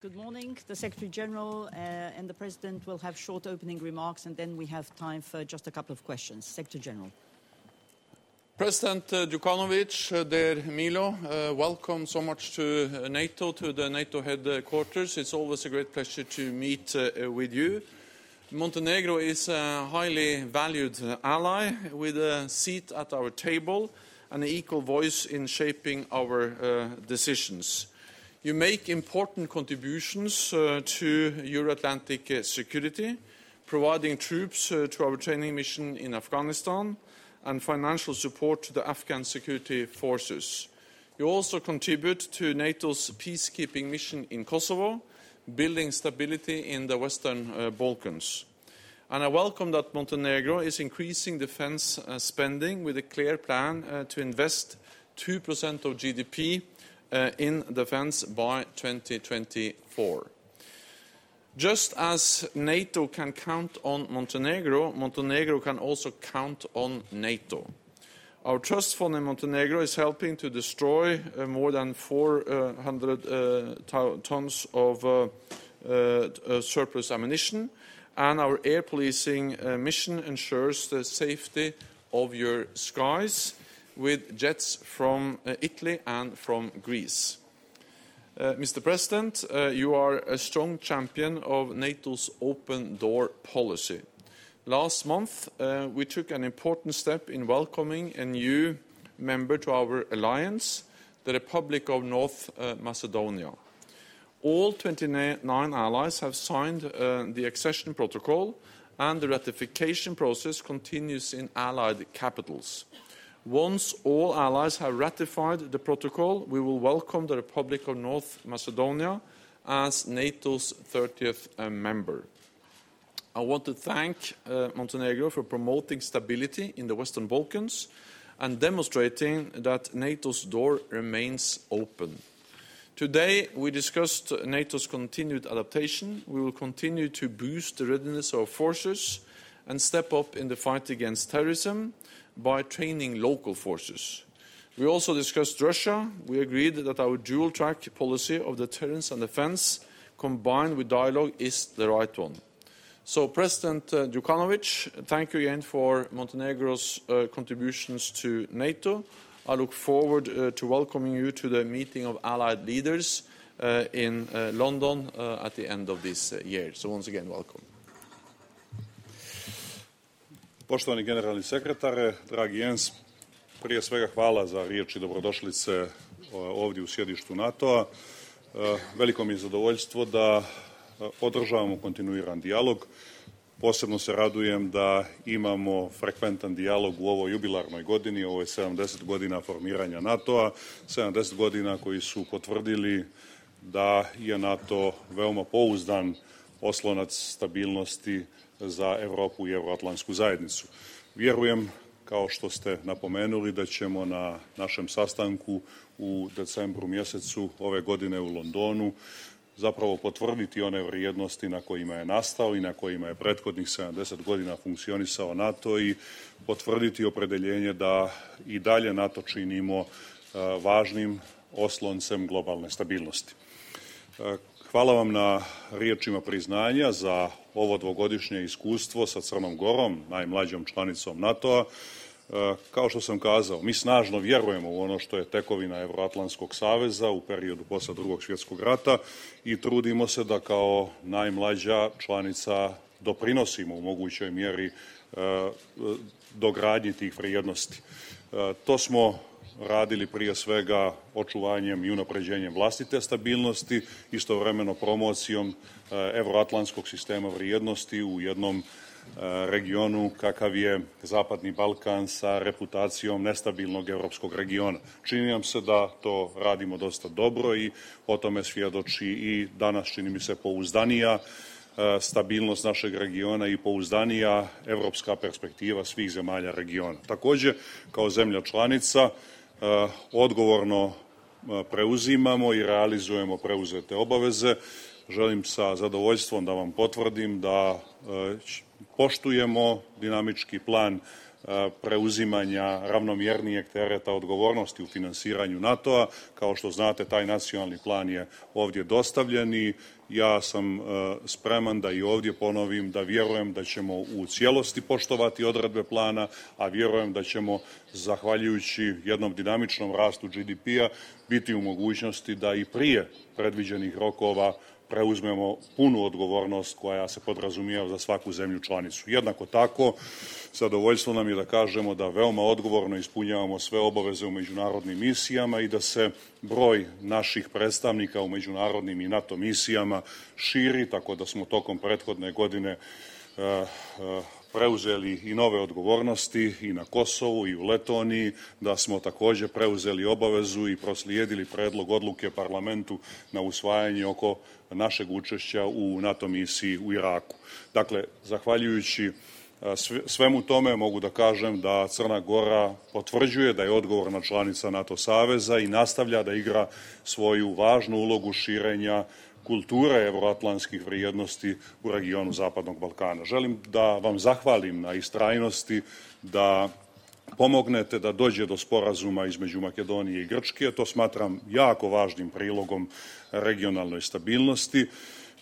Good morning. The Secretary General and the President will have short opening remarks, and then we have time for just a couple of questions. Secretary General. President Djukanovic, dear Milo, welcome so much to NATO, to the NATO headquarters. It's always a great pleasure to meet with you. Montenegro is a highly valued ally with a seat at our table and an equal voice in shaping our decisions. You make important contributions to Euro-Atlantic security, providing troops to our training mission in Afghanistan and financial support to the Afghan security forces. You also contribute to NATO's peacekeeping mission in Kosovo, building stability in the Western Balkans. And I welcome that Montenegro is increasing defense spending with a clear plan to invest 2% of GDP in defense by 2024. Just as NATO can count on Montenegro, Montenegro can also count on NATO. Our trust fund in Montenegro is helping to destroy more than 400 tons of surplus ammunition, and our air policing mission ensures the safety of your skies with jets from Italy and from Greece. Mr. President, you are a strong champion of NATO's open door policy. Last month, we took an important step in welcoming a new member to our alliance, the Republic of North Macedonia. All 29 allies have signed the accession protocol, and the ratification process continues in allied capitals. Once all allies have ratified the protocol, we will welcome the Republic of North Macedonia as NATO's 30th member. I want to thank Montenegro for promoting stability in the Western Balkans and demonstrating that NATO's door remains open. Today, we discussed NATO's continued adaptation. We will continue to boost the readiness of our forces and step up in the fight against terrorism by training local forces. We also discussed Russia. We agreed that our dual-track policy of deterrence and defense combined with dialogue is the right one. So, President Djukanovic, thank you again for Montenegro's contributions to NATO. I look forward to welcoming you to the meeting of allied leaders in London at the end of this year. So once again, welcome. Poštovani generalni sekretare, dragi Jens, prije svega hvala za riječi dobrodošlice ovdje u sjedištu NATO-a. Veliko mi je zadovoljstvo da održavamo kontinuiran dijalog. Posebno se radujem da imamo frekventan dijalog u ovoj jubilarnoj godini, ovo je 70 godina formiranja NATO-a, 70 godina koji su potvrdili da je NATO veoma pouzdan oslonac stabilnosti za Europu i Euroatlantsku zajednicu. Vjerujem, kao što ste napomenuli, da ćemo na našem sastanku u decembru mjesecu ove godine u Londonu zapravo potvrditi one vrijednosti na kojima je nastao i na kojima je prethodnih 70 godina funkcionisao NATO i potvrditi opredjeljenje da i dalje NATO činimo važnim osloncem globalne stabilnosti. Hvala vam na riječima priznanja za ovo dvogodišnje iskustvo sa Crnom Gorom, najmlađom članicom NATO-a. Kao što sam kazao, mi snažno vjerujemo u ono što je tekovina Euroatlantskog saveza u periodu posle Drugog svjetskog rata i trudimo se da kao najmlađa članica doprinosimo u mogućoj mjeri dogradnji tih vrijednosti. To smo radili prije svega očuvanjem i unapređenjem vlastite stabilnosti, istovremeno promocijom euroatlantskog sistema vrijednosti u jednom regionu kakav je Zapadni Balkan sa reputacijom nestabilnog europskog regiona. Čini nam se da to radimo dosta dobro i o tome svjedoči i danas, čini mi se, pouzdanija stabilnost našeg regiona i pouzdanija evropska perspektiva svih zemalja regiona. Također, kao zemlja članica, odgovorno preuzimamo i realizujemo preuzete obaveze. Želim sa zadovoljstvom da vam potvrdim da poštujemo dinamički plan preuzimanja ravnomjernijeg tereta odgovornosti u finansiranju NATO-a. Kao što znate, taj nacionalni plan je ovdje dostavljen i ja sam spreman da i ovdje ponovim da vjerujem da ćemo u cijelosti poštovati odredbe plana, a vjerujem da ćemo, zahvaljujući jednom dinamičnom rastu GDP-a, biti u mogućnosti da i prije predviđenih rokova preuzmemo punu odgovornost koja se podrazumijeva za svaku zemlju članicu. Jednako tako, zadovoljstvo nam je da kažemo da veoma odgovorno ispunjavamo sve obaveze u međunarodnim misijama i da se broj naših predstavnika u međunarodnim i NATO misijama širi, tako da smo tokom prethodne godine preuzeli i nove odgovornosti i na Kosovu i u Letoniji, da smo također preuzeli obavezu i proslijedili predlog odluke parlamentu na usvajanje oko našeg učešća u NATO misiji u Iraku. Dakle, zahvaljujući svemu tome mogu da kažem da Crna Gora potvrđuje da je odgovorna članica NATO saveza i nastavlja da igra svoju važnu ulogu širenja kulture evroatlantskih vrijednosti u regionu Zapadnog Balkana. Želim da vam zahvalim na istrajnosti, da pomognete da dođe do sporazuma između Makedonije i Grčke. To smatram jako važnim prilogom regionalnoj stabilnosti.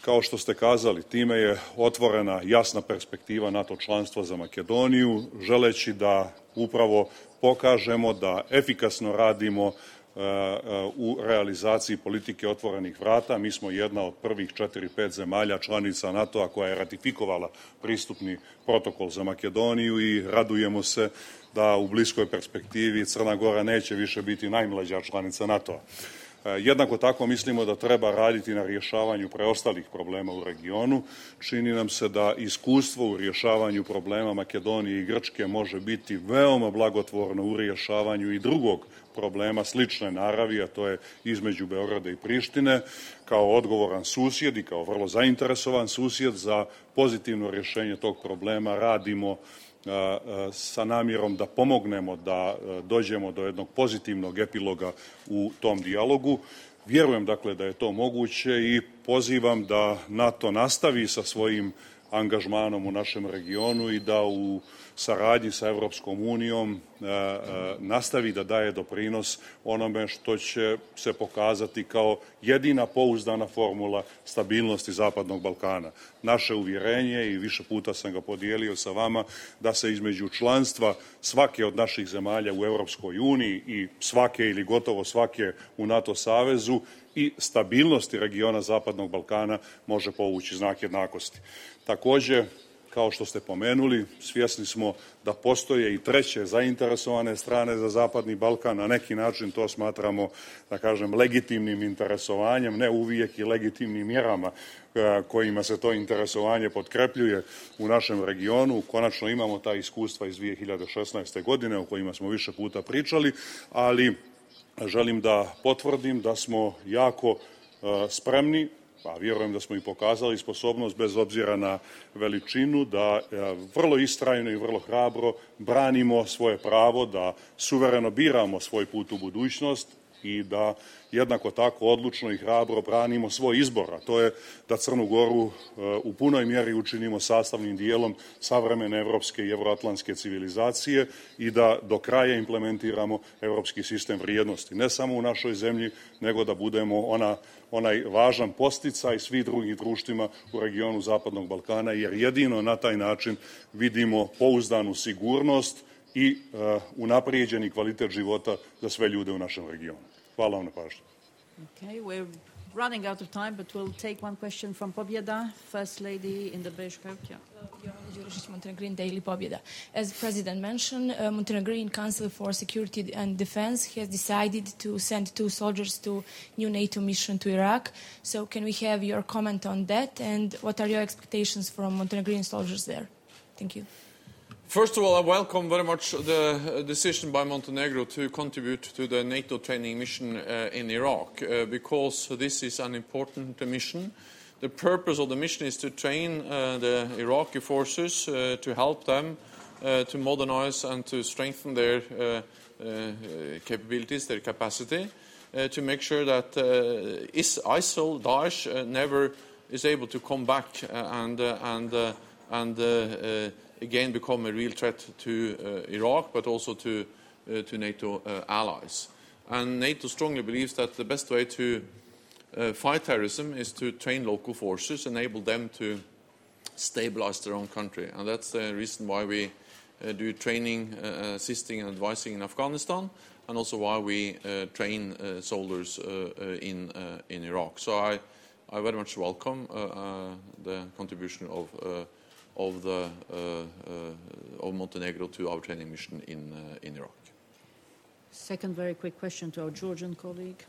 Kao što ste kazali, time je otvorena jasna perspektiva NATO članstva za Makedoniju, želeći da upravo pokažemo da efikasno radimo u realizaciji politike otvorenih vrata. Mi smo jedna od prvih 4-5 zemalja članica NATO-a koja je ratifikovala pristupni protokol za Makedoniju i radujemo se da u bliskoj perspektivi Crna Gora neće više biti najmlađa članica NATO-a. Jednako tako mislimo da treba raditi na rješavanju preostalih problema u regionu. Čini nam se da iskustvo u rješavanju problema Makedonije i Grčke može biti veoma blagotvorno u rješavanju i drugog problema slične naravi, a to je između Beograda i Prištine. Kao odgovoran susjed i kao vrlo zainteresovan susjed za pozitivno rješenje tog problema radimo sa namjerom da pomognemo da dođemo do jednog pozitivnog epiloga u tom dijalogu. Vjerujem dakle da je to moguće i pozivam da NATO nastavi sa svojim angažmanom u našem regionu i da u saradnji sa Europskom unijom nastavi da daje doprinos onome što će se pokazati kao jedina pouzdana formula stabilnosti Zapadnog Balkana. Naše uvjerenje, i više puta sam ga podijelio sa vama, da se između članstva svake od naših zemalja u Europskoj uniji i svake ili gotovo svake u NATO savezu i stabilnosti regiona Zapadnog Balkana može povući znak jednakosti. Također, kao što ste pomenuli, svjesni smo da postoje i treće zainteresovane strane za Zapadni Balkan. Na neki način to smatramo, da kažem, legitimnim interesovanjem, ne uvijek i legitimnim mjerama kojima se to interesovanje potkrepljuje u našem regionu. Konačno imamo ta iskustva iz 2016. godine o kojima smo više puta pričali, ali želim da potvrdim da smo jako spremni, pa vjerujem da smo i pokazali sposobnost bez obzira na veličinu, da vrlo istrajno i vrlo hrabro branimo svoje pravo, da suvereno biramo svoj put u budućnost i da jednako tako odlučno i hrabro branimo svoj izbor, a to je da Crnu Goru u punoj mjeri učinimo sastavnim dijelom savremene evropske i evroatlantske civilizacije i da do kraja implementiramo evropski sistem vrijednosti. Ne samo u našoj zemlji, nego da budemo onaj važan podsticaj svih drugih društvima u regionu Zapadnog Balkana, jer jedino na taj način vidimo pouzdanu sigurnost i unaprijeđeni kvalitet života za sve ljude u našem regionu. Hvala vam na pažnju. Okay, we're running out of time, but we'll take one question from Pobjeda, First Lady in the beige coat. Yeah. Jovana Đurišić, Montenegrin Daily Pobjeda. As the President mentioned, Montenegrin Council for Security and Defense has decided to send 2 soldiers to new NATO mission to Iraq. So can we have your comment on that, and what are your expectations from Montenegrin soldiers there? Thank you. First of all, I welcome very much the decision by Montenegro to contribute to the NATO training mission in Iraq, because this is an important mission. The purpose of the mission is to train the Iraqi forces, to help them to modernize and to strengthen their capabilities, their capacity, to make sure that ISIL, Daesh, never is able to come back and again become a real threat to Iraq, but also to NATO allies. And NATO strongly believes that the best way to fight terrorism is to train local forces, enable them to stabilize their own country. And that's the reason why we do training, assisting and advising in Afghanistan, and also why we train soldiers in Iraq. So I very much welcome the contribution of Montenegro to our training mission in Iraq. Second very quick question to our Georgian colleague.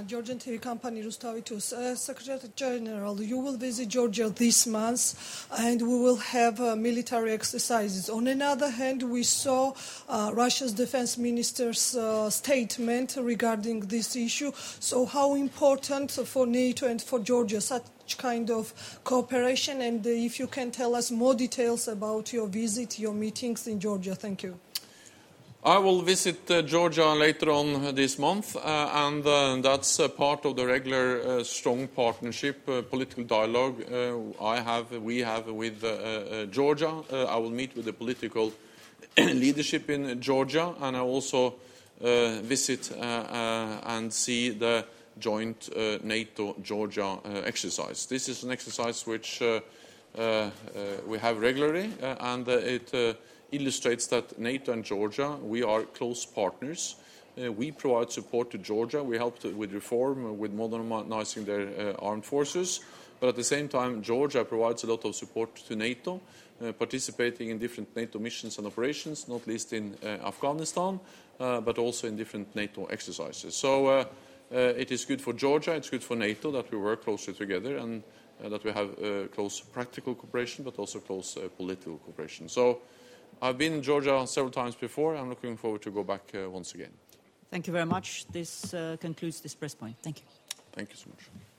Georgian TV company Rustavitus. Secretary General, you will visit Georgia this month and we will have military exercises. On the other hand, we saw Russia's defense minister's statement regarding this issue. So how important for NATO and for Georgia such kind of cooperation? And if you can tell us more details about your visit, your meetings in Georgia. Thank you. I will visit Georgia later on this month, and that's part of the regular strong partnership, political dialogue we have with Georgia. I will meet with the political leadership in Georgia, and I also visit and see the joint NATO-Georgia exercise. This is an exercise which we have regularly, and it illustrates that NATO and Georgia, we are close partners. We provide support to Georgia. We help with reform, with modernizing their armed forces. But at the same time, Georgia provides a lot of support to NATO, participating in different NATO missions and operations, not least in Afghanistan, but also in different NATO exercises. So it is good for Georgia, it's good for NATO that we work closely together and that we have close practical cooperation, but also close political cooperation. So I've been in Georgia several times before. I'm looking forward to go back once again. Thank you very much. This concludes this press point. Thank you. Thank you so much.